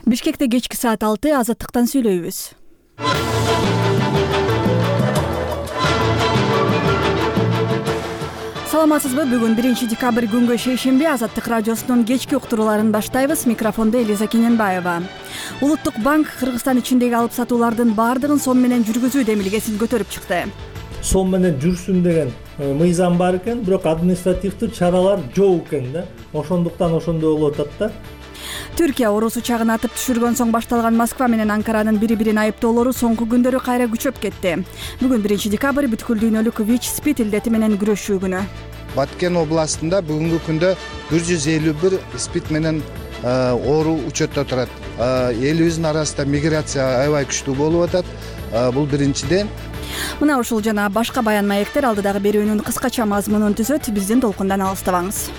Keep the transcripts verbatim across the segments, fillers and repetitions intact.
Бишкекте кечки саат алты азаттыктан сүйлөйбүз. Саламатсызбы? Бүгүн биринчи декабрь күнгө шейшемби Азаттык радиосунун кечки уктурууларын баштайбыз. Микрофондо Элиза Кененбаева. Улуттук банк Кыргызстан ичиндеги алып сатуулардын баардыгын сом менен жүргүзүү демилгесин көтөрүп чыкты. Сом менен жүрсүн деген мыйзам бар экен, бирок административдүү чаралар жок экен да. Ошондуктан ошондой болуп атат да. Түркия орус учагын атып түшүргөн соң башталган Москва менен Анкаранын бири-бирин айыптоолору соңку күндөрү кайра күчөп кетти. Бүгүн биринчи декабрь бүткүл дүйнөлүк ВИЧ-СПИД илдети менен күрөшүү күнү. Баткен областында бүгүнкү күндө бир жүз элүү бир СПИД менен оору учетто турат. Элибиздин арасында миграция аябай күчтүү болуп атат. Бул биринчиден. Мына ушул жана башка баян маектер алдыдагы берүүнүн кыскача мазмунун түзөт. Биздин толкундан алыстабаңыз.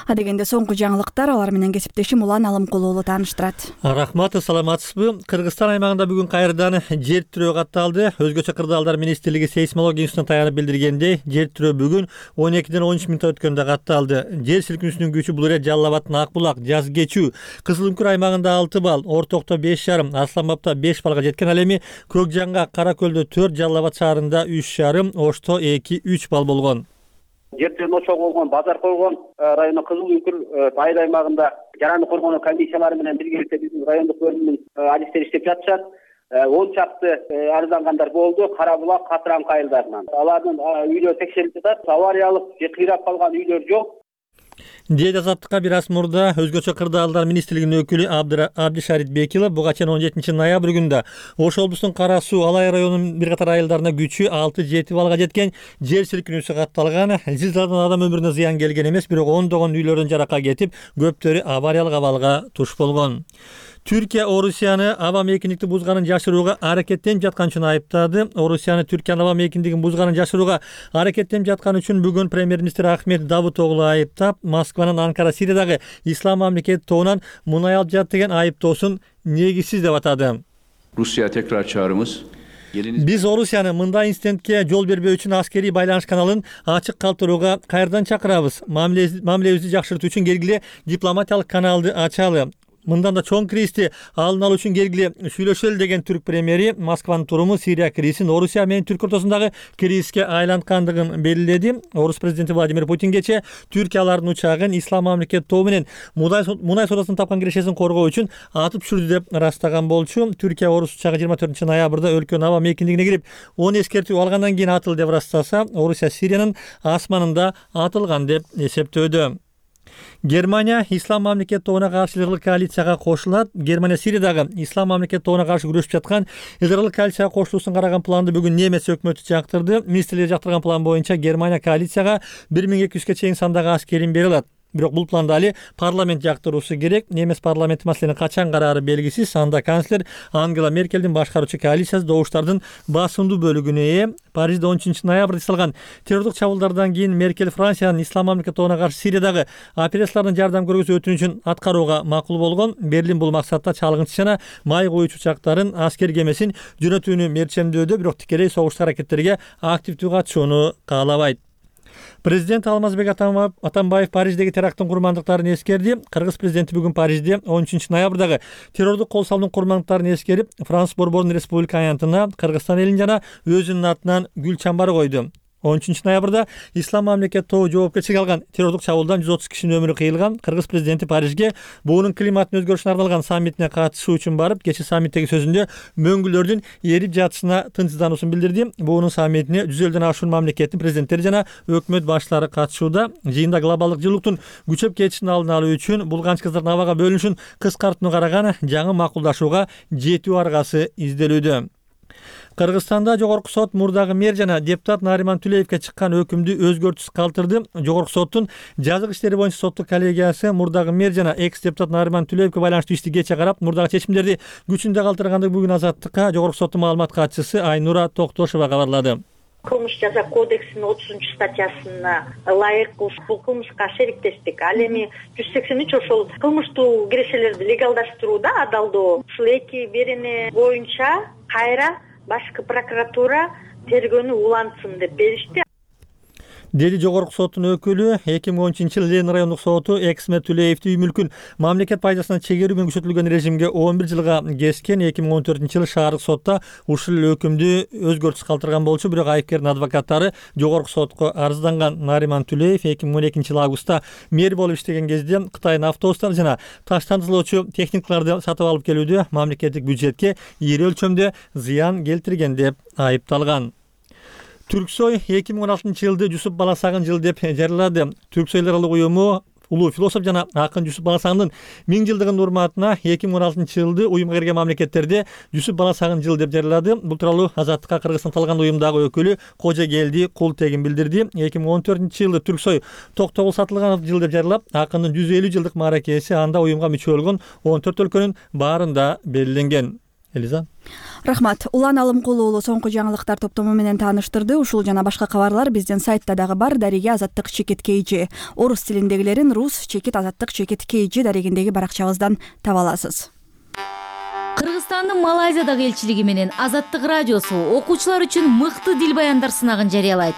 Адегенде соңку жаңылыктар, алар менен кесиптешим Улан Алымкулуулу тааныштырат. Рахмат, саламатсызбы? Кыргызстан аймагында бүгүн кайрадан жер тирөө катталды. Өзгөчө кырдаалдар министрлиги сейсмология институтуна таянып билдиргендей, жер тирөө бүгүн он экиден он үч мүнөт өткөндө катталды. Жер силкинүүсүнүн күчү бул эре Жалал Абад, Ак булак, Жаз Кечүү, Кызыл Үңкүр аймагында алты балл, Ортокто беш жарым, Арслан Бабта беш баллга жеткен. Ал эми Көк Жаңга, Кара Көлдө төрт, Жалал Абад шаарында үч жарым, Ошто эки үч балл болгон. Жер тирөө ошого болгон Базар койгон району Кызыл Үңкүр айыл аймагында жараны коргонуу комиссиялары менен биргеликте биздин райондук бөлүмдүн адистери иштеп жатышат. он чакты арыздангандар болду Кара булак, Катыраңкы айылдарынан. Алардын үйлөрү текшерилип жатат. Авариялык же кыйрап калган үйлөр жок. Дейт Азаттыкка бир аз мурда өзгөчө кырдаалдар министрлигинин өкүлү Абдишарит Бекилов буга чейин он жетинчи ноябрь күндө Ош облусунун Кара Суу, Алай районунун бир катар айылдарына күчү алты жети баллга жеткен жер силкинүүсү катталган. Зилзаладан адам өмүрүнө зыян келген эмес, бирок ондогон үйлөрдөн жаракка кетип, көптөрү авариялык абалга туш болгон. Түркия Орусияны аба мейкиндикти бузганын жашырууга аракеттенип жаткан үчүн айыптады. Орусияны Түркиянын аба мейкиндигин бузганын жашырууга аракеттенип жаткан үчүн бүгүн премьер-министр Ахмет Давутоглу айыптап, Москванын Анкара Сириядагы Ислам мамлекети тобунан мунай алып жатты деген айыптоосун негизсиз деп атады. Rusya tekrar çağrımız. Биз Орусияны мындай инцидентке жол бербөө үчүн аскерий байланыш каналын ачык калтырууга кайрадан чакырабыз. Мамилебизди жакшыртуу үчүн келгиле дипломатиялык каналды ачалы. Мындан да чоң кризисти алдын алуу үчүн келгиле сүйлөшөлү деген түрк премьери Москванын туруму Сирия кризисин Орусия менен Түркия ортосундагы кризиске айланткандыгын белгиледи. Орус президенти Владимир Путин кечээ Түркиялардын учагын Ислам мамлекети тобу менен мунай соодасын тапкан кирешесин коргоо үчүн атып түшүрдү деп ырастаган болчу. Түркия орус учагы жыйырма төртүнчү ноябрда өлкөнүн аба мейкиндигине кирип, он эскертүү алгандан кийин атылды деп ырастаса, Орусия Сириянын асманында атылган деп эсептөөдө. Германия Ислам мамлекети тобуна каршы Израиль коалицияга кошулат. Германия Сириядагы Ислам мамлекети тобуна каршы күрөшүп жаткан Израиль коалицияга кошулуусун караган планды бүгүн немец өкмөтү жактырды. Министрлер жактырган план боюнча Германия коалицияга бир миң эки жүзгө чейин сандагы аскерин бере алат. Бирок бул планды али парламент жактыруусу керек. Немес парламенти маселени качан караары белгисиз. Анда канцлер Ангела Меркелдин башкаруучу коалициясы добуштардын басымдуу бөлүгүнө ээ. Парижде он үчүнчү ноябрда жасалган террорлук чабуулдардан кийин Меркель Франциянын Ислам мамлекети тобуна каршы Сириядагы операциялардын жардам көргөзүү өтүнүчүн аткарууга макул болгон. Берлин бул максатта чалгынчы жана май коюучу учактарын, аскер кемесин жөнөтүүнү мерчемдөөдө, бирок тикелей согуштук аракеттерге активдүү катышууну каалабайт. Президент Алмазбек Атамбаев Париждеги теракттын курмандыктарын эскерди. Кыргыз президенти бүгүн Парижде он үчүнчү ноябрдагы террордук кол салуунун курмандыктарын эскерип, Франс Борбордун республика аянтына, Кыргызстан элин жана өзүнүн атынан гүл чамбары койду. он үчүнчү ноябрда Ислам мамлекети тобу жоопкерчиликке алган террордук чабуулдан жүз отуз кишинин өмүрү кыйылган. Кыргыз президенти Парижге буунун климаттын өзгөрүшүнө арналган саммитине катышуу үчүн барып, кечээ саммиттеги сөзүндө мөңгүлөрдүн эрип жатышына тынчсыздануусун билдирди. Буунун саммитине жүз элден ашуун мамлекеттин президенттери жана өкмөт башчылары катышууда. Жыйында глобалдык жылуулуктун күчөп кетишин алдын алуу үчүн булганч кыздардын абага бөлүнүшүн кыскартууну караган жаңы макулдашууга жетүү аргасы изделүүдө. Кыргызстанда жогорку сот мурдагы мэр жана депутат Нариман Түлеевке чыккан өкүмдү өзгөртүүсүз калтырды. Жогорку соттун жазык иштери боюнча соттук коллегиясы мурдагы мэр жана экс депутат Нариман Түлеевке байланыштуу ишти кече карап, мурдагы чечимдерди күчүндө калтыргандыгы бүгүн Азаттыкка жогорку соттун маалымат катчысы Айнура Токтошова кабарлады. Кылмыш жаза кодексинин отузунчу статьясына ылайык бул кылмышка шериктештик. Ал эми жүз сексен үч ошол кылмыштуу кирешелерди легалдаштырууда адалдоо. Ушул эки берене боюнча кайра башкы прокуратура тергөөнү улантсын деп беришти. деди жогорку соттун өкүлү. эки миң он үчүнчү жылы Ленин райондук соту Эксмет Түлеевди үй мүлкүн мамлекет пайдасына чегерүү менен күчөтүлгөн режимге он бир жылга кескен. эки миң он төртүнчү жылы шаардык сотта ушул эле өкүмдү өзгөртүш калтырган болчу, бирок айыпкердин адвокаттары жогорку сотко арызданган. Нариман Түлеев эки миң он экинчи жылы августта мэр болуп иштеген кезде Кытайдын автобустар жана таш тандырлоочу техникаларды сатып алып келүүдө мамлекеттик бюджетке ири өлчөмдө зыян келтирген деп айыпталган. Түрксой эки миң он алтынчы жылды Жусуп Баласагын жылы деп жарыялады. Түрксойлор аралык уюму улуу философ жана акын Жусуп Баласагындын миң жылдыгынын урматына эки миң он алтынчы жылды уюмга кирген мамлекеттерде Жусуп Баласагын жылы деп жарыялады. Бул тууралуу Азаттыкка Кыргызстан талган уюмдагы өкүлү Кожогелди Култегин билдирди. эки миң он төртүнчү жылы Түрксой Токтогул Сатылганов жылы деп жарыялап, акындын жүз элүү жылдык мааракеси анда уюмга мүчө болгон он төрт өлкөнүн баарында белгиленген. Элиза. Рахмат. Улан Алымкулу уулу соңку жаңылыктар топтому менен тааныштырды. Ушул жана башка кабарлар биздин сайтта дагы бар. Дареге Азаттык чекит kg. Орус тилиндегилерин рус чекит азаттык чекит kg дарегиндеги баракчабыздан таба аласыз. Кыргызстандын Малайзиядагы элчилиги менен Азаттык радиосу окуучулар үчүн мыкты дил баяндар сынагын жарыялайт.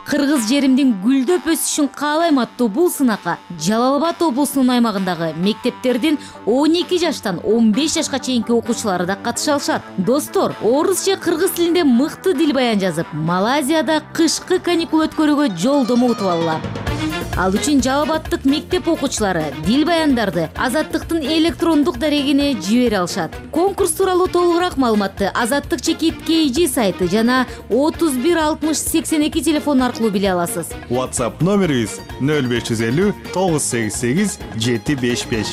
Кыргыз жеримдин гүлдөп өсүшүн каалайм аттуу бул сынакка Жалал Абад облусунун аймагындагы мектептердин он эки жаштан он беш жашка чейинки окуучулары да катыша алышат. Достор, орус же кыргыз тилинде мыкты дил баян жазып, Малайзияда кышкы каникул өткөрүүгө жолдомо утуп алгыла. Ал үчүн Жалал Абадтык мектеп окуучулары дил баяндарды Азаттыктын электрондук дарегине жибере алышат. Конкурс тууралуу толугураак маалыматты Азаттык чекит kg сайты жана отуз бир алтымыш сексен эки телефон аркылуу биле аласыз. WhatsApp номерибиз нөл беш жүз элүү тогуз сегиз сегиз жети беш беш.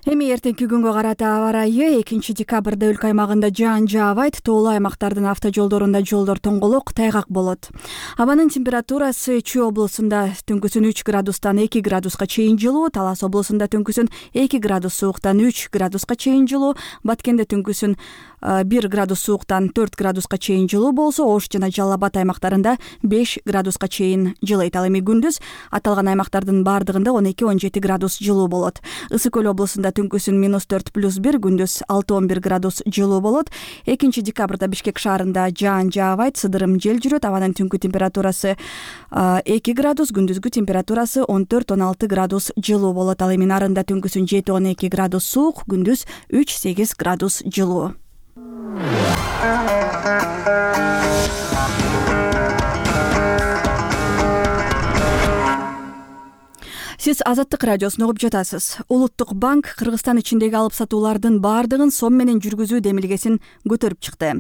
Эми эртеңки күнгө карата аба ырайы экинчи декабрда өлкө аймагында жаан жаабайт, тоолуу аймактардын автожолдорунда жолдор тоңголок, тайгак болот. Абанын температурасы Чүй облусунда түнкүсүн үч градустан эки градуска чейин жылуу, Талас облусунда түнкүсүн эки градус сууктан үч градуска чейин жылуу, Баткенде түнкүсүн бир градус сууктан төрт градуска чейин жылуу болсо, Ош жана Жалал Абад аймактарында беш градуска чейин жылыйт. Ал эми күндүз аталган аймактардын бардыгында он эки он жети градус жылуу болот. Ысык көл облусунда түнкүсүн минус төрт плюс бир, күндүз алты он бир градус жылуу болот. экинчи декабрда Бишкек шаарында жаан жаабайт, сыдырым жел жүрөт. Абанын түнкү температурасы эки градус, күндүзгү температурасы он төрт он алты градус жылуу болот. Ал эми нарында түнкүсүн жети он эки градус суук, күндүз үч сегиз градус жылуу. Сиз Азаттык радиосун угуп жатасыз. Улуттук банк Кыргызстан ичиндеги алып сатуулардын бардыгын сом менен жүргүзүү демилгесин көтөрүп чыкты.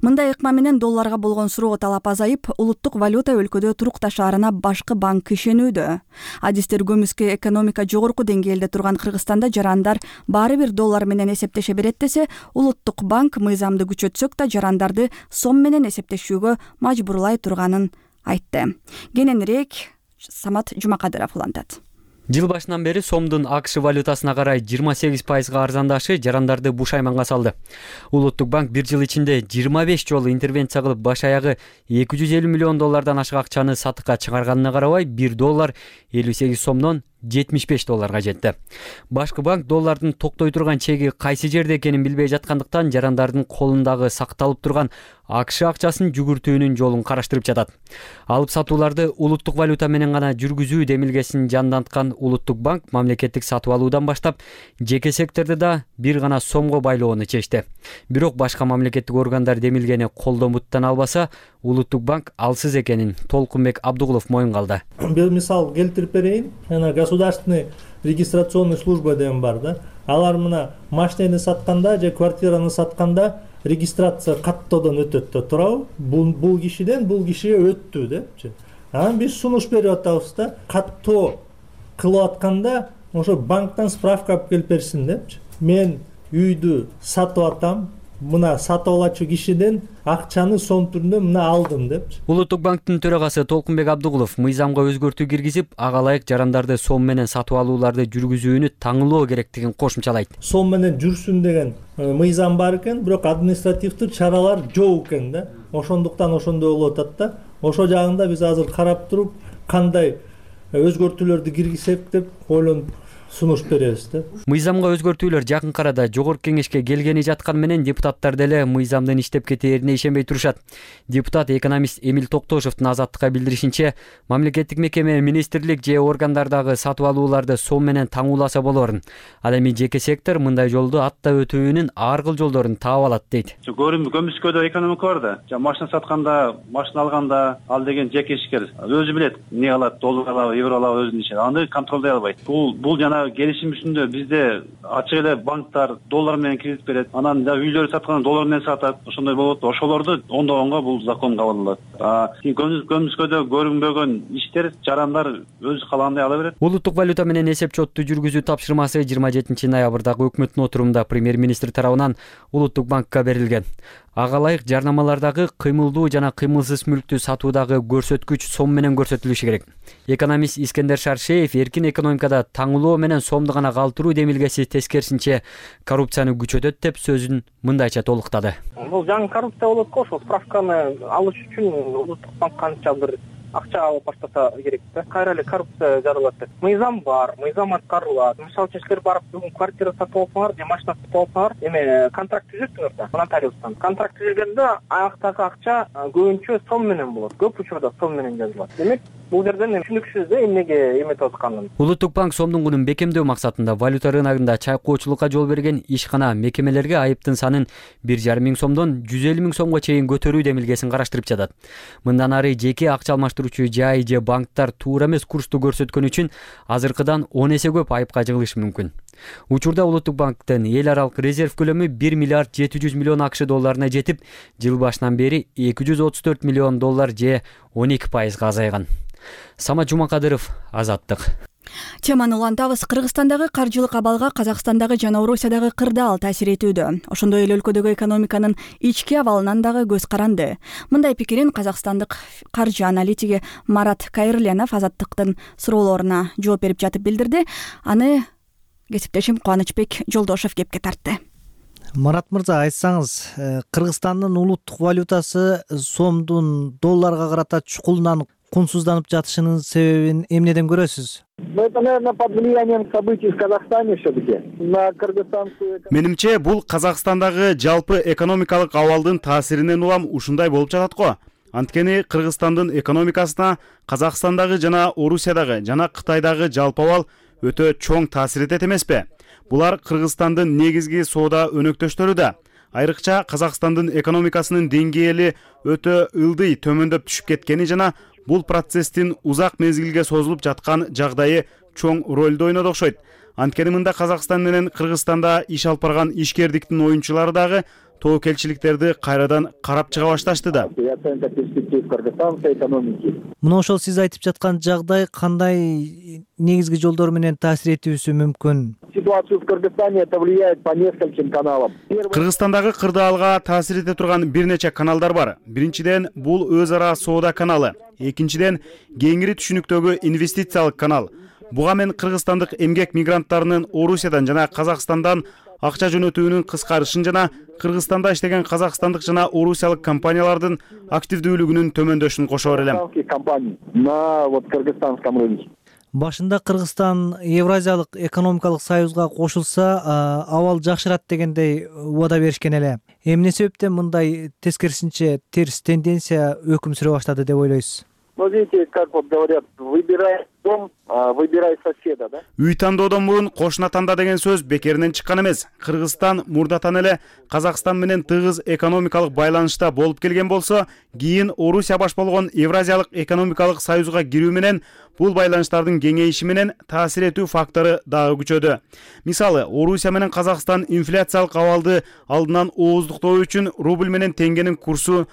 Мындай ыкма менен долларга болгон суроо талап азайып, улуттук валюта өлкөдө турукташаарына башкы банк ишенүүдө. Адистер көмүскө экономика жогорку деңгээлде турган Кыргызстанда жарандар баары бир доллар менен эсептеше берет десе, улуттук банк мыйзамды күчөтсөк да жарандарды сом менен эсептешүүгө мажбурлай турганын айтты. Кененирээк Самат Жумакадыров улантат. Жыл башынан бери сомдун АКШ валютасына карай жыйырма сегиз пайызга арзандашы жарандарды бушайманга салды. Улуттук банк бир жыл ичинде жыйырма беш жолу интервенция кылып баш аягы эки жүз элүү миллион доллардан ашык акчаны сатыкка чыгарганына карабай, бир доллар элүү сегиз сомдон жетимиш беш долларга жетти. Башкы банк доллардын токтой турган чеги кайсы жерде экенин билбей жаткандыктан жарандардын колундагы сакталып турган АКШ акчасын жүгүртүүнүн жолун караштырып жатат. Алып сатууларды улуттук валюта менен гана жүргүзүү демилгесин жанданткан улуттук банк мамлекеттик сатып алуудан баштап жеке сектордо да бир гана сомго байлоону чечти. Бирок башка мамлекеттик органдар демилгени колдон буттан албаса, улуттук банк алсыз экенин Толкунбек Абдугулов моюнга алды. Бир мисал келтирип берейин. Жана государственный регистрационный служба деген бар да. Алар мына машинени сатканда же квартираны сатканда регистрация каттоодон өтөт да туурабы? Бул бул кишиден бул кишиге өттү депчи. Анан биз сунуш берип атабыз да, каттоо кылып атканда ошо банктан справка алып келип берсин депчи. Мен үйдү сатып атам, мына сатып алачу кишиден акчаны сом түрүндө мына алдым депчи. Улуттук банктын төрагасы Толкунбек Абдугулов мыйзамга өзгөртүү киргизип, ага ылайык жарандарды сом менен сатып алууларды жүргүзүүнү таңылоо керектигин кошумчалайт. Сом менен жүрсүн деген мыйзам бар экен, бирок административдик чаралар жок экен да. Ошондуктан ошондой болуп атат да. Ошо жагында биз азыр карап туруп, кандай өзгөртүүлөрдү киргизсек деп ойлонуп сунуш беребиз да. Мыйзамга өзгөртүүлөр жакынкы арада жогорку кеңешке келгени жаткан менен депутаттар деле мыйзамдын иштеп кетээрине ишенбей турушат. Депутат экономист Эмил Токтошовдун Азаттыкка билдиришинче, мамлекеттик мекеме, министрлик же органдардагы сатып алууларды сом менен таңууласа болорун. Ал эми жеке сектор мындай жолду аттап өтүүнүн ар кыл жолдорун таап алат дейт. Көмүскөдө экономика бар да. Жана машина сатканда, машина алганда ал деген жеке ишкер өзү билет эмне алат, доллар алабы, евро алабы өзүнүн ишин. Аны контролдой албайт. Бул бул жана келишим үстүндө бизде ачык эле банктар доллар менен кредит берет. Анан да үйлөрдү сатканда доллар менен сатат. Ошондой болот. Ошолорду оңдогонго бул закон кабыл алат. А көмүскөдө көрүнбөгөн иштер, жарандар өзү каалагандай ала берет. Улуттук валюта менен эсеп-чотту жүргүзүү тапшырмасы жыйырма жетинчи ноябрдагы өкмөттүн отурумунда премьер-министр тарабынан Улуттук банкка берилген. Ага ылайык жарнамалардагы кыймылдуу жана кыймылсыз мүлктү сатуудагы көрсөткүч сом менен көрсөтүлүшү керек. Экономист Искендер Шаршеев эркин экономикада таңылоо менен сомду гана калтыруу демилгеси тескерисинче коррупцияны күчөтөт деп сөзүн мындайча толуктады. Бул жаңы коррупция болот го, ошол справканы алыш үчүн Улуттук банк канча бир акча алып баштаса керек да. Кайра эле коррупция жаралат деп. Мыйзам бар, мыйзам аткарылат. Мисалы үчүн силер барып бүгүн квартира сатып алсаңар, же машина сатып алсаңар, эме контракт түзөсүңөр да, нотариустан. Контракт түзүлгөндө аяктагы акча көбүнчө сом менен болот. Көп учурда сом менен жазылат. Демек, бул жерден түшүнүксүз да эмнеге эметип атканын. Улуттук банк сомдун кунун бекемдөө максатында валюта рыногунда чайкоочулукка жол берген ишкана мекемелерге айыптын санын бир жарым миң сомдон жүз элүү миң сомго чейин көтөрүү демилгесин караштырып жатат. Мындан ары жеке акча алмаштыруучу жай же банктар туура эмес курсту көрсөткөн үчүн азыркыдан он эсе көп айыпка жыгылышы мүмкүн. Учурда Улуттук банктын эл аралык резерв көлөмү бир миллиард жети жүз миллион акш долларына жетип, жыл башынан бери эки жүз отуз төрт миллион доллар же он эки пайызга азайган. Самат Жумакадыров, Азаттык. Теманы улантабыз. Кыргызстандагы каржылык абалга Казакстандагы жана Орусиядагы кырдаал таасир этүүдө. Ошондой эле өлкөдөгү экономиканын ички абалынан дагы көз каранды. Мындай пикирин казакстандык каржы аналитиги Марат Кайырленов Азаттыктын суроолоруна жооп берип жатып билдирди. Аны кесиптешим Кубанычбек Жолдошев кепке тартты. Марат мырза, айтсаңыз, Кыргызстандын улуттук валютасы сомдун долларга карата чукулунан кунсузданып жатышынын себебин эмнеден көрөсүз? Это, наверное, под влиянием событий в Казахстане все-таки. На кыргызстанскую... Менимче, бул Казакстандагы жалпы экономикалык абалдын таасиринен улам ушундай болуп жатат го. Анткени Кыргызстандын экономикасына Казакстандагы жана Орусиядагы жана Кытайдагы жалпы абал өтө чоң таасир этет эмеспи? Булар Кыргызстандын негизги соода өнөктөштөрү да. Айрыкча Казакстандын экономикасынын деңгээли өтө ылдый төмөндөп түшүп кеткени жана бул процесстин узак мезгилге созулуп жаткан жагдайы чоң ролду ойноду окшойт. Анткени мында Казакстан менен Кыргызстанда иш алып барган ишкердиктин оюнчулары дагы тобокелчиликтерди кайрадан карап чыга башташты да. Мына ошол сиз айтып жаткан жагдай кандай негизги жолдор менен таасир этүүсү мүмкүн? Ситуацию в Кыргызстане это влияет по нескольким каналам. Кыргызстандагы кырдаалга таасир эте турган бир нече каналдар бар. Биринчиден, бул өз ара соода каналы. Экинчиден, кеңири түшүнүктөгү инвестициялык канал. Буга мен кыргызстандык эмгек мигранттарынын Орусиядан жана Казакстандан акча жөнөтүүнүн кыскарышын жана Кыргызстанда иштеген казакстандык жана орусиялык компаниялардын активдүүлүгүнүн төмөндөшүн кошо берем. На вот кыргызстанском рынке. Башында Кыргызстан Евразиялык экономикалык союзга кошулса, абал жакшырат дегендей убада беришкен эле. Эмне себептен мындай тескерисинче терс тенденция өкүм сүрө баштады деп ойлойсуз? Ну, видите, как вот говорят, выбирай дом, выбирай соседа, да? Үй тандоодон мурун кошуна танда деген сөз бекеринен чыккан эмес. Кыргызстан мурдатан эле Казакстан менен тыгыз экономикалык байланышта болуп келген болсо, кийин Орусия баш болгон Евразиялык экономикалык союзга кирүү менен бул байланыштардын кеңейиши менен таасир этүү фактору дагы күчөдү. Мисалы, Орусия менен Казакстан инфляциялык абалды алдынан ооздуктоо үчүн рубль менен теңгенин курсу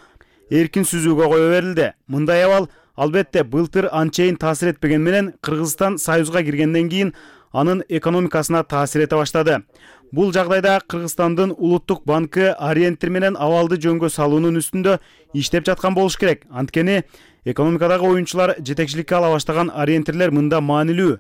эркин сүзүүгө кое берилди. Мындай абал албетте былтыр анчейин таасир этпеген менен Кыргызстан союзга киргенден кийин анын экономикасына таасир эте баштады. Бул жагдайда Кыргызстандын улуттук банкы ориентир менен абалды жөнгө салуунун үстүндө иштеп жаткан болуш керек. Анткени экономикадагы оюнчулар жетекчиликке ала баштаган ориентирлер мында маанилүү.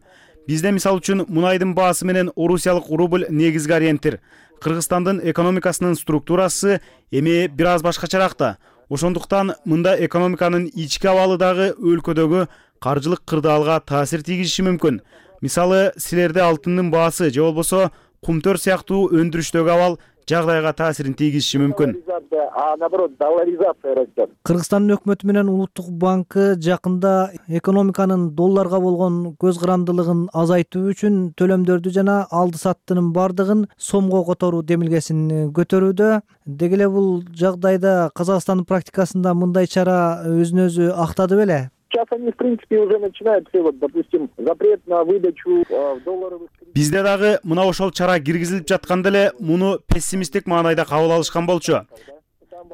Бизде мисалы үчүн мунайдын баасы менен орусиялык рубль негизги ориентир. Кыргызстандын экономикасынын структурасы эми бир аз башкачараак да. Ошондуктан мында экономиканын ички абалы дагы өлкөдөгү каржылык кырдаалга таасир тийгизиши мүмкүн. мисалы силерде алтындын баасы же болбосо кумтөр сыяктуу өндүрүштөгү абал жагдайга таасирин тийгизиши мүмкүн. А наоборот, долларизация растет. Кыргызстандын өкмөтү менен Улуттук банкы жакында экономиканын долларга болгон көз карандылыгын азайтуу үчүн төлөмдөрдү жана алды саттынын бардыгын сомго которуу демилгесин көтөрүүдө. Деги эле бул жагдайда Казакстандын практикасында мындай чара өзүн өзү актады беле? Сейчас они, в принципе, уже начинают все, вот, допустим, запрет на выдачу долларовых. Бизде дагы мына ошол чара киргизилип жатканда эле муну пессимисттик маанайда кабыл алышкан болчу.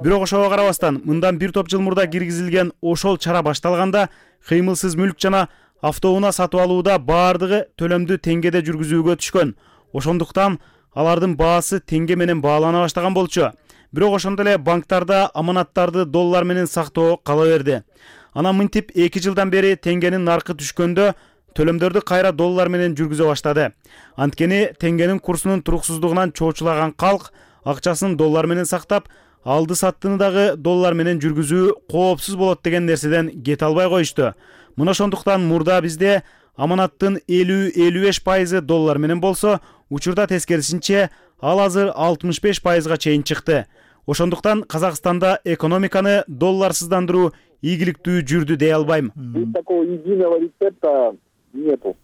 Бирок ошого карабастан мындан бир топ жыл мурда киргизилген ошол чара башталганда кыймылсыз мүлк жана автоунаа сатып алууда баардыгы төлөмдү теңгеде жүргүзүүгө түшкөн. Ошондуктан алардын баасы теңге менен баалана баштаган болчу. Бирок ошондой эле банктарда аманаттарды доллар менен сактоо кала берди. Анан мынтип эки жылдан бери теңгенин наркы түшкөндө төлөмдөрдү кайра доллар менен жүргүзө баштады. Анткени теңгенин курсунун туруксуздугунан чоочулаган калк акчасын доллар менен сактап, алды саттыны дагы доллар менен жүргүзүү коопсуз болот деген нерседен кете албай коюшту. Мына ошондуктан мурда бизде аманаттын элүү элүү беш пайызы доллар менен болсо, учурда тескерисинче ал азыр алтымыш беш пайызга чейин чыкты. Ошондуктан Казакстанда экономиканы долларсыздандыруу ийгиликтүү жүрдү дей албайм. Такого единого рецепта нету.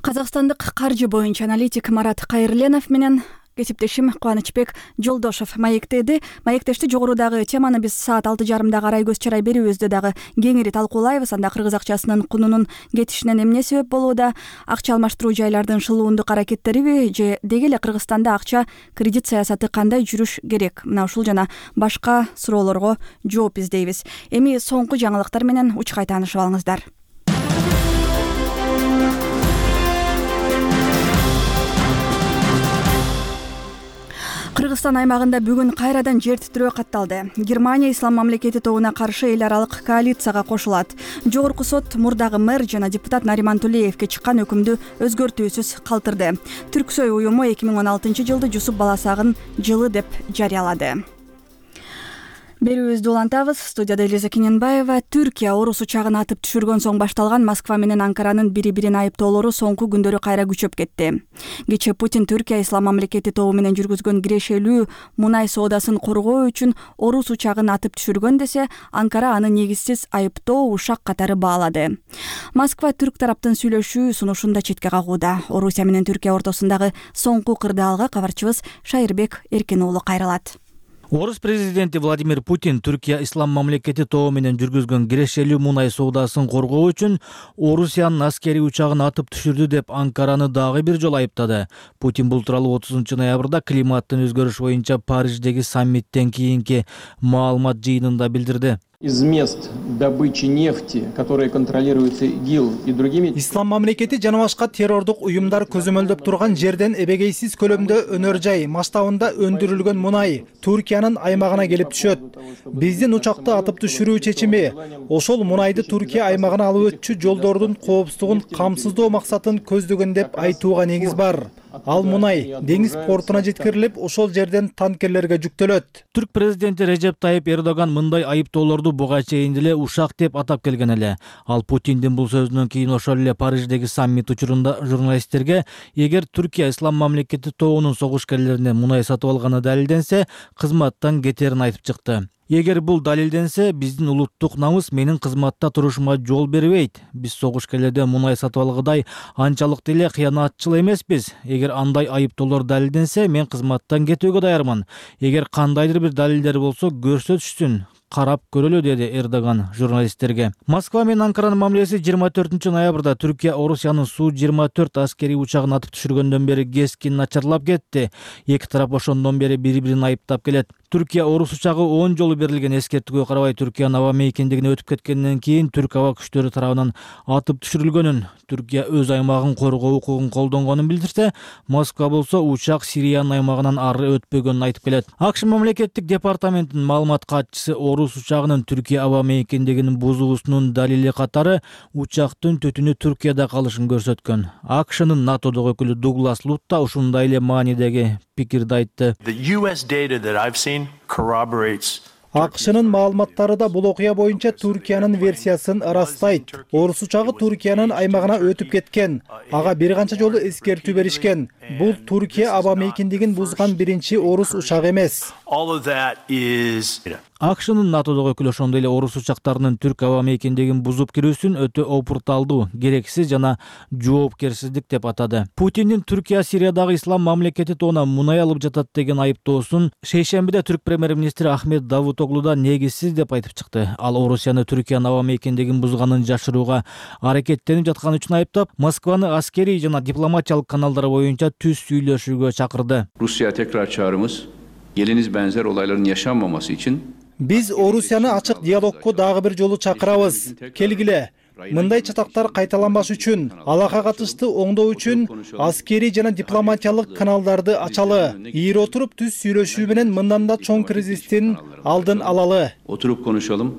Казакстандык каржы боюнча аналитик Марат Кайырленов менен кесиптешим Кубанычбек Жолдошов маектеди. Маектешти жогорудагы теманы биз саат алты жарымда карай көз чарай берүүбүздө дагы кеңири талкуулайбыз. Анда кыргыз акчасынын кунунун кетишинен эмне себеп болууда? Акча алмаштыруу жайлардын шылуундук аракеттериби же деги эле Кыргызстанда акча кредит саясаты кандай жүрүш керек? Мына ушул жана башка суроолорго жооп издейбиз. Эми соңку жаңылыктар менен учкай таанышып алыңыздар. Кыргызстан аймагында бүгүн кайрадан жер титирөө катталды. Германия ислам мамлекети тобуна каршы эл аралык коалицияга кошулат. Жогорку сот мурдагы мэр жана депутат Нариман Тулеевке чыккан өкүмдү өзгөртүүсүз калтырды. Түрксой уюму эки миң он алтынчы жылды Жусуп Баласагын жылы деп жарыялады. Берүүбүздү улантабыз. Студияда Элиза Кененбаева. Түркия орус учагын атып түшүргөн соң башталган Москва менен Анкаранын бири-бирин айыптоолору соңку күндөрү кайра күчөп кетти. Кечээ Путин Түркия ислам мамлекети тобу менен жүргүзгөн кирешелүү мунай соодасын коргоо үчүн орус учагын атып түшүргөн десе, Анкара аны негизсиз айыптоо ушак катары баалады. Москва түрк тараптын сүйлөшүү сунушун да четке кагууда. Орусия менен Түркия ортосундагы соңку кырдаалга кабарчыбыз Шайырбек Эркен уулу кайрылат. Орус президенти Владимир Путин Түркия ислам мамлекети тобу менен жүргүзгөн кирешелүү мунай соодасын коргоо үчүн Орусиянын аскерий учагын атып түшүрдү деп Анкараны дагы бир жолу айыптады. Путин бул тууралуу отузунчу ноябрда климаттын өзгөрүш боюнча Париждеги саммиттен кийинки маалымат жыйынында билдирди. Из мест добычи нефти, которые контролируются ИГИЛ и другими. Ислам мамлекети жана башка террордук уюмдар көзөмөлдөп турган жерден эбегейсиз көлөмдө өнөр жай масштабында өндүрүлгөн мунай Түркиянын аймагына келип түшөт. Биздин учакты атып түшүрүү чечими ошол мунайды Түркия аймагына алып өтчү жолдордун коопсуздугун камсыздоо максатын көздөгөн деп айтууга негиз бар. Ал мунай деңиз портуна жеткирилип, ошол жерден танкерлерге жүктөлөт. Түрк президенти Режеп Тайып Эрдоган мындай айыптоолорду буга чейин деле ушак деп атап келген эле. Ал Путиндин бул сөзүнөн кийин ошол эле Париждеги саммит учурунда журналисттерге эгер Түркия ислам мамлекети тобунун согушкерлеринен мунай сатып алганы далилденсе, кызматтан кетерин айтып чыкты. Эгер бул далилденсе, биздин улуттук намыс менин кызматта турушума жол бербейт. Биз согушкерлерден мунай сатып алгыдай анчалык деле кыянатчыл эмеспиз. Эгер андай айыптоолор далилденсе, мен кызматтан кетүүгө даярмын. Эгер кандайдыр бир далилдер болсо, көрсөтүшсүн. Карап көрөлү, деди Эрдоган журналисттерге. Москва менен Анкаранын мамилеси жыйырма төртүнчү ноябрда Түркия Орусиянын Су жыйырма төрт аскерий учагын атып түшүргөндөн бери кескин начарлап кетти. Эки тарап ошондон бери бири-бирин айыптап келет. Түркия орус учагы он жолу берилген эскертүүгө карабай Түркиянын аба мейкиндигине өтүп кеткенден кийин түрк аба күчтөрү тарабынан атып түшүрүлгөнүн, Түркия өз аймагын коргоо укугун колдонгонун билдирсе, Москва болсо учак Сириянын аймагынан ары өтпөгөнүн айтып келет. АКШ мамлекеттик департаментинин маалымат катчысы орус учагынын Түркия аба мейкиндигин бузуусунун далили катары учактын түтүнү Түркияда калышын көрсөткөн. АКШнын НАТОдогу өкүлү Дуглас Лут да ушундай эле маанидеги пикирди айтты. The U S data that I've seen corroborates АКШнын маалыматтары да бул окуя боюнча Түркиянын версиясын ырастайт. Орус учагы Түркиянын аймагына өтүп кеткен. Ага бир канча жолу эскертүү беришкен. Бул Түркия аба мейкиндигин бузган биринчи орус учагы эмес. АКШнын НАТОдогу өкүлү ошондой эле орус учактарынын түрк аба мейкиндигин бузуп кирүүсүн өтө опурталдуу, герексиз жана жоопкерсиздик деп атады. Путиндин Түркия Сириядагы ислам мамлекети тоона мунай алып жатат деген айыптоосун шейшембиде түрк премьер-министри Ахмет Давутоглу да негизсиз деп айтып чыкты. Ал Орусияны Түркиянын аба мейкиндигин бузганын жашырууга аракеттенип жатканы үчүн айыптап, Москваны аскерий жана дипломатиялык каналдар боюнча түз сүйлөшүүгө чакырды. Rusya tekrar çağrımız geliniz benzer olayların yaşanmaması için Биз Орусияны ачык диалогко дагы бир жолу чакырабыз. Келгиле. Мындай чатактар кайталанбаш үчүн, алага катыштуу оңдоо үчүн аскерий жана дипломатиялык каналдарды ачалы. Ийир отуруп түз сүйлөшүү менен мындан да чоң кризистин алдын алалы. Oturup konuşalım.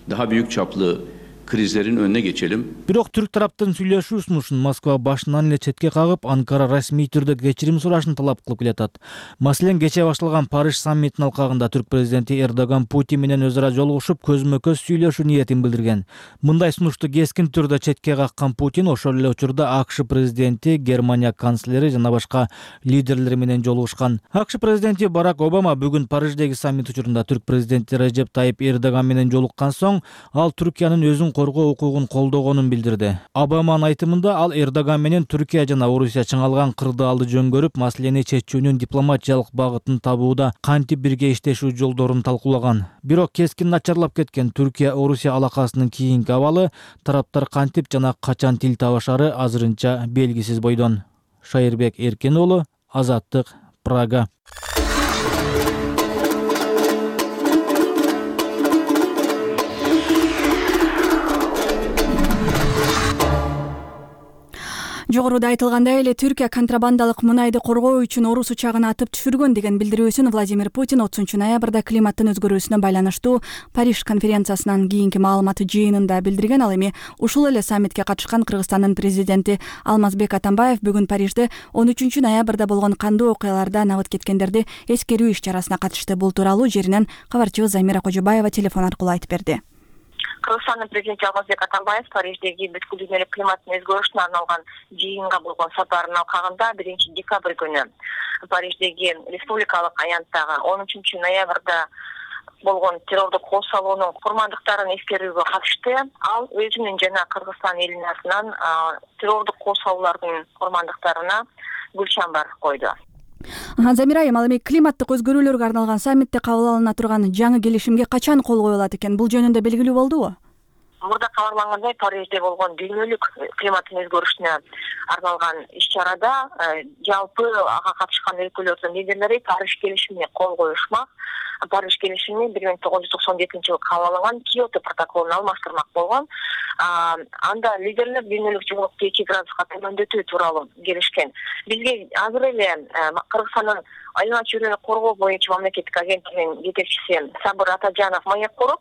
Daha büyük çaplı krizlerin önüne geçelim. Бирок түрк тараптын сүйлөшүү сунушун Москва башынан эле четке кагып, Анкара расмий түрдө кечирим сурашын талап кылып келатат. Маселен, кечээ башталган Париж саммитинин алкагында түрк президенти Эрдоган Путин менен өзара жолугушуп, көзмө-көз сүйлөшүү ниетин билдирген. Мындай сунушту кескин түрдө четке каккан Путин ошол эле учурда АКШ президенти, Германия канцлери жана башка лидерлер менен жолугушкан. АКШ президенти Барак Обама бүгүн Париждеги саммит учурунда түрк президенти Режеп Тайип Эрдоган менен жолуккан соң, ал Түркиянын өзүн коргоо укугун колдогонун билдирди. Обаманын айтымында ал Эрдоган менен Түркия жана Орусия чыңалган кырдаалды жөнгөрүп, маселени чечүүнүн дипломатиялык багытын табууда кантип бирге иштешүү жолдорун талкуулаган. Бирок кескин начарлап кеткен Түркия-Орусия алакасынын кийинки абалы тараптар кантип жана качан тил табышары азырынча белгисиз бойдон. Шайырбек Эркен уулу, Азаттык, Прага. Жогоруда айтылгандай эле Түркия контрабандалык мунайды коргоо үчүн орус учагын атып түшүргөн деген билдирүүсүн Владимир Путин отузунчу ноябрда климаттын өзгөрүүсүнө байланыштуу Париж конференциясынан кийинки маалымат жыйынында билдирген. Ал эми ушул эле саммитке катышкан Кыргызстандын президенти Алмазбек Атамбаев бүгүн Парижде он үчүнчү ноябрда болгон кандуу окуяларда набыт кеткендерди эскерүү иш-чарасына катышты. Бул тууралуу жеринен кабарчыбыз Замира Кожобаева телефон аркылуу айтып берди. Кыргызстандын президенти Алмазбек Атамбаев Париждеги бүткүл дүйнөлүк климаттын өзгөрүшүнө арналган жыйынга болгон сапарынын алкагында биринчи декабрь күнү Париждеги республикалык аянттагы он үчүнчү ноябрда болгон террордук кол салуунун курмандыктарын эскерүүгө катышты. Ал өзүнүн жана Кыргызстан элинин атынан террордук кол салуулардын курмандыктарына гүл чамбар койду. Замира айым, ал эми климаттык өзгөрүүлөргө арналган саммитте кабыл алына турган жаңы келишимге качан кол коюлат экен? Бул жөнүндө белгилүү болдубу? Мурда кабарлангандай, Парижде болгон дүйнөлүк климаттын өзгөрүшүнө арналган иш-чарада жалпы ага катышкан өлкөлөрдүн лидерлери Париж келишимине кол коюшмак. Париж келишими бир миң тогуз жүз токсон жетинчи жылы кабыл алынган Киото протоколуна алмаштырмак болгон. Анда лидерлер дүйнөлүк жылуулукту эки градуска төмөндөтүү тууралуу келишкен. Бизге азыр эле Кыргызстандын айлана чөйрөнү коргоо боюнча мамлекеттик агенттигинин жетекчиси Сабыр Атажанов маек куруп,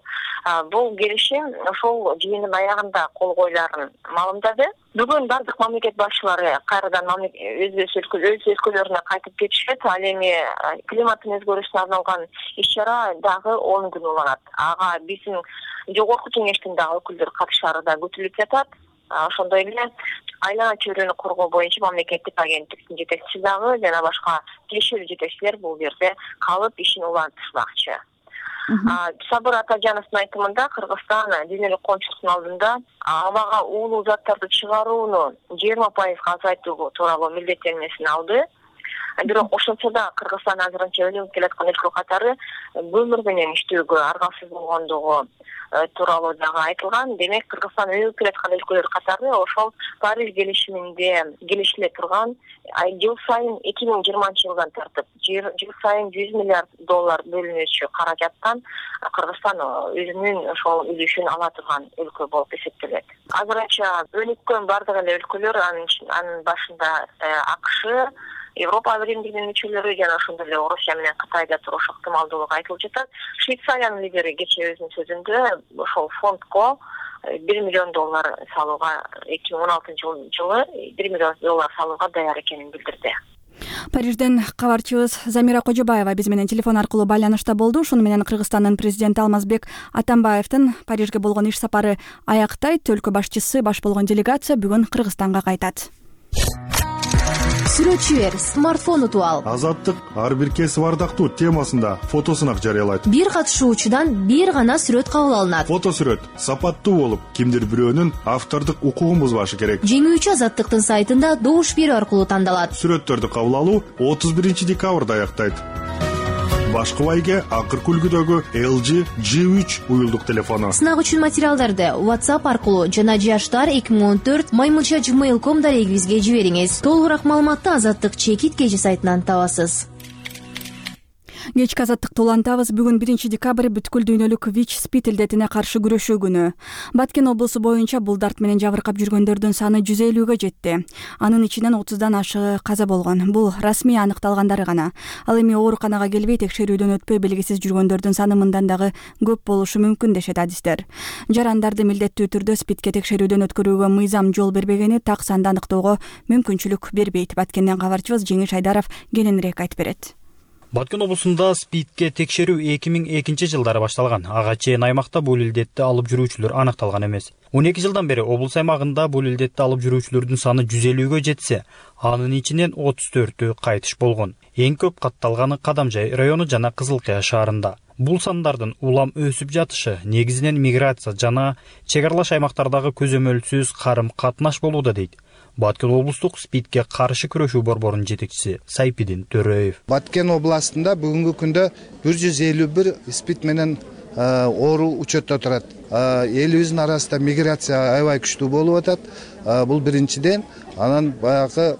бул келишим ошол жыйындын аягында кол коюларын маалымдады. Бүгүн бардык мамлекет башчылары кайрадан өз өлкөлөрүнө кайтып кетишет. Ал эми климаттын өзгөрүшүнө арналган иш-чара дагы он күн уланат. Ага биздин жогорку кеңештин дагы өкүлдөрү катышары да күтүлүп жатат. Ошондой эле айлана чөйрөнү коргоо боюнча мамлекеттик агенттиктин жетекчиси дагы жана башка тиешелүү жетекчилер бул жерде калып ишин улантышмакчы. Сабыр Атажановдун айтымында Кыргызстан дүйнөлүк коомчулуктун алдында абага уулуу заттарды чыгарууну жыйырма пайызга азайтуу тууралуу милдеттенмесин алды. Бирок ошентсе да Кыргызстан азырынча өнүгүп келаткан өлкө катары көмүр менен иштөөгө аргасыз болгондугу тууралуу дагы айтылган. Демек, Кыргызстан өнүгүп келаткан өлкөлөр катары ошол Париж келишиминде келишиле турган жыл сайын эки миң жыйырманчы жылдан тартып жыл сайын жүз миллиард доллар бөлүнүүчү каражаттан Кыргызстан өзүнүн ошол үлүшүн ала турган өлкө болуп эсептелет. Азырынча өнүккөн бардык эле өлкөлөр, анын башында АКШ, Европа биримдигинин мүчөлөрү жана ошондой эле Орусия менен Кытайда туруш ыктымалдуулугу айтылып жатат. Швейцариянын лидери кечээ өзүнүн сөзүндө ошол фондко бир миллион доллар салууга эки миң он алтынчы жылы бир миллион доллар салууга даяр экенин билдирди. Парижден кабарчыбыз Замира Кожобаева биз менен телефон аркылуу байланышта болду. Ушуну менен Кыргызстандын президенти Алмазбек Атамбаевдин Парижге болгон иш сапары аяктайт. Өлкө башчысы баш болгон делегация бүгүн Кыргызстанга кайтат. Сүрөтчү бер, смартфон утуп ал. Азаттык ар бир кесип ардактуу темасында фотосунак жарыялайт. Бир катышуучудан бир гана сүрөт кабыл алынат. Фото сүрөт сапаттуу болуп, кимдир бирөөнүн автордук укугун бузбашы керек. Жеңүүчү Азаттыктын сайтында добуш берүү аркылуу тандалат. Сүрөттөрдү кабыл алуу отуз биринчи декабрда аяктайт. Башкы байге акыркы үлгүдөгү эл джи джи үч уюлдук телефону. Сынак үчүн материалдарды WhatsApp аркылуу жана жаштар эки миң он төрт маймунча gmail точка ком дарегибизге жибериңиз. Толугураак маалыматты Азаттык чекит кежи сайтынан табасыз. Кечки азаттыкты улантабыз. Бүгүн биринчи декабрь бүткүл дүйнөлүк ВИЧ-СПИД илдетине каршы күрөшүү күнү. Баткен облусу боюнча бул дарт менен жабыркап жүргөндөрдүн саны жүз элүүгө жетти. Анын ичинен отуздан ашыгы каза болгон. Бул расмий аныкталгандары гана. Ал эми ооруканага келбей текшерүүдөн өтпөй белгисиз жүргөндөрдүн саны мындан дагы көп болушу мүмкүн дешет адистер. Жарандарды милдеттүү түрдө СПИДке текшерүүдөн өткөрүүгө мыйзам жол бербегени так санды аныктоого мүмкүнчүлүк бербейт. Баткенден кабарчыбыз Жеңиш Айдаров кененирээк айтып берет. Баткен облусунда СПИДке текшерүү эки миң экинчи жылдары башталган. Ага чейин аймакта бул илдетти алып жүрүүчүлөр аныкталган эмес. он эки жылдан бери облус аймагында бул илдетти алып жүрүүчүлөрдүн саны жүз элүүгө жетсе, анын ичинен отуз төртү кайтыш болгон. Эң көп катталганы Кадамжай району жана Кызылкая шаарында. Бул сандардын улам өсүп жатышы негизинен миграция жана чек аралаш аймактардагы көзөмөлсүз карым-катнаш болууда дейт Баткен облустук СПИДке каршы күрөшүү борборунун жетекчиси Сайпидин Төрөев. Баткен областында бүгүнкү күндө бир жүз элүү бир СПИД менен оору учетто турат. Элибиздин арасында миграция аябай күчтүү болуп атат. Бул биринчиден, анан баягы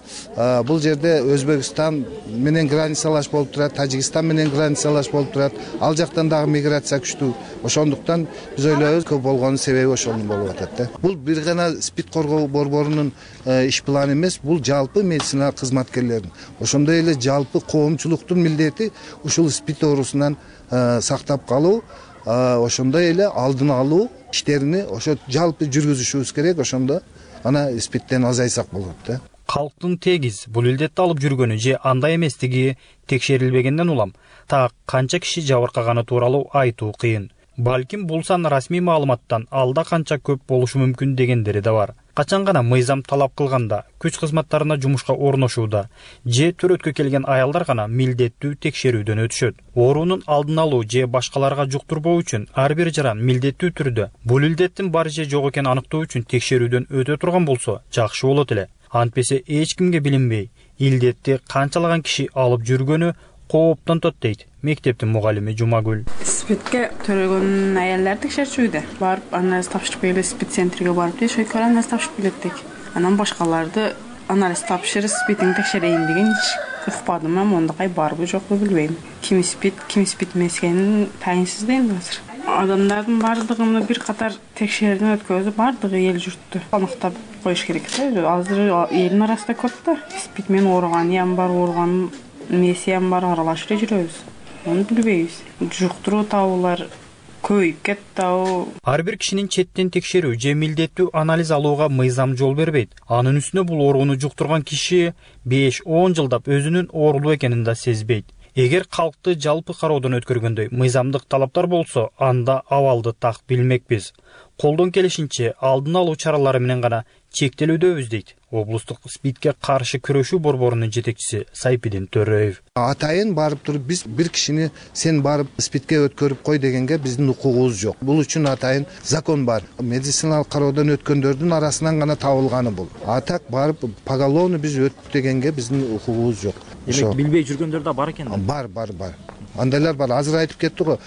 бул жерде Өзбекстан менен границалаш болуп турат, Тажикстан менен границалаш болуп турат. Ал жактан дагы миграция күчтүү. Ошондуктан биз ойлойбуз көп болгонун себеби ошондон болуп атат да. Бул бир гана СПИД коргоо борборунун иш планы эмес, бул жалпы медицина кызматкерлеринин. Ошондой эле жалпы коомчулуктун милдети ушул СПИД оорусунан сактап калуу, ошондой эле алдын алуу иштерини ошо жалпы жүргүзүшүбүз керек. Ошондо ана СПИДтен азайсак болот да. Калктын тегиз бул илдетти алып жүргөнү же андай эместиги текшерилбегенден улам так канча киши жабыркаганы тууралуу айтуу кыйын. Балким бул сан расмий маалыматтан алда канча көп болушу мүмкүн дегендери да бар. Качан гана мыйзам талап кылганда, күч кызматтарына жумушка орношууда же төрөткө келген аялдар гана милдеттүү текшерүүдөн өтүшөт. Оорунун алдын алуу же башкаларга жуктурбоо үчүн ар бир жаран милдеттүү түрдө бул илдеттин бар же жок экенин аныктоо үчүн текшерүүдөн өтө турган болсо жакшы болот эле. Антпесе эч кимге билинбей, илдетти канчалаган киши алып жүргөнү кооптонтот дейт мектептин мугалими Жумагүл. СПИДке төрөгөн аялдар текшерчүүүдө барып анализ тапшырып келип СПИД центриге барып текшерүүгө анализ тапшырып келеттик. Анан башкаларды анализ тапшырып СПИДин текшерейин деген эч укпадым. Мен мондакай барбы жокпу билбейм. Ким СПИД, ким СПИД эмес экенин тайынсыз да энди азыр. Адамдардын бардыгын бир катар текшерүүдөн өткөзүп, бардыгы эл журтту аныктап коюш керек да. Азыр элдин арасында көп да СПИД менен ооруганы ям бар, ооруган эмеси ям бар, аралашып эле жүрөбүз. Муну билбейбиз. Жуктуруу табуулар көбөйүп кетти. Ар бир кишинин четтен текшерүү же милдеттүү анализ алууга мыйзам жол бербейт. Анын үстүнө бул ооруну жуктурган киши беш он жылдап өзүнүн оорулуу экенин да сезбейт. Эгер калкты жалпы кароодон өткөргөндөй мыйзамдык талаптар болсо, анда абалды так билмекпиз. Колдон келишинче алдын алуу чаралары менен гана чектелүүдөбүз дейт облустук СПИДке каршы күрөшүү борборунун жетекчиси Сайпидин Төрөев. Атайын барып туруп биз бир кишини сен барып СПИДке өткөрүп кой дегенге биздин укугубуз жок. Бул үчүн атайын закон бар. Медициналык кароодон өткөндөрдүн арасынан гана табылганы бул. А так барып поголовно биз өттүк дегенге биздин укугубуз жок. Демек билбей жүргөндөр да бар экен. Бар, бар, бар. Андайлар бар. Азыр айтып кетти го,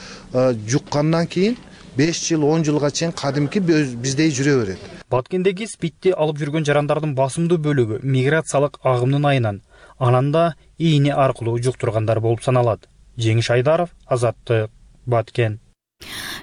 жуккандан кийин беш жыл он жылга чейин кадимки биздей жүрө берет. Баткендеги СПИДти алып жүргөн жарандардын басымдуу бөлүгү миграциялык агымдын айынан, анан да ийне аркылуу жуктургандар болуп саналат. Жеңиш Айдаров, Азаттык, Баткен.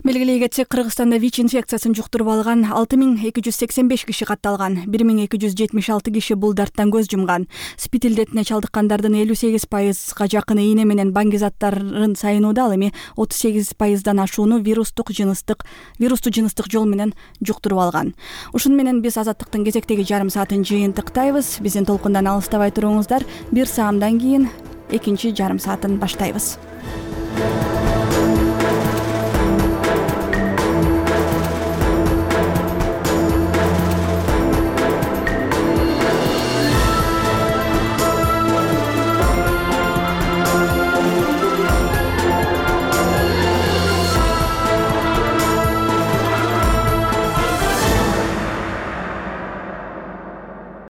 Белгилей кетсек, Кыргызстанда ВИЧ инфекциясын жуктуруп алган алты миң эки жүз сексен беш киши катталган. бир миң эки жүз жетимиш алты киши бул дарттан көз жумган. СПИД илдетине чалдыккандардын элүү сегиз пайызга жакыны ийне менен баңги-заттарын сайынууда, ал эми отуз сегиз пайыздан ашууну вирустук жыныстык вирусту жыныстык жол менен жуктуруп алган. Ушуну менен биз Азаттыктын кезектеги жарым саатын жыйынтыктайбыз. Биздин толкундан алыстабай туруңуздар. Бир саамдан кийин экинчи жарым саатын баштайбыз.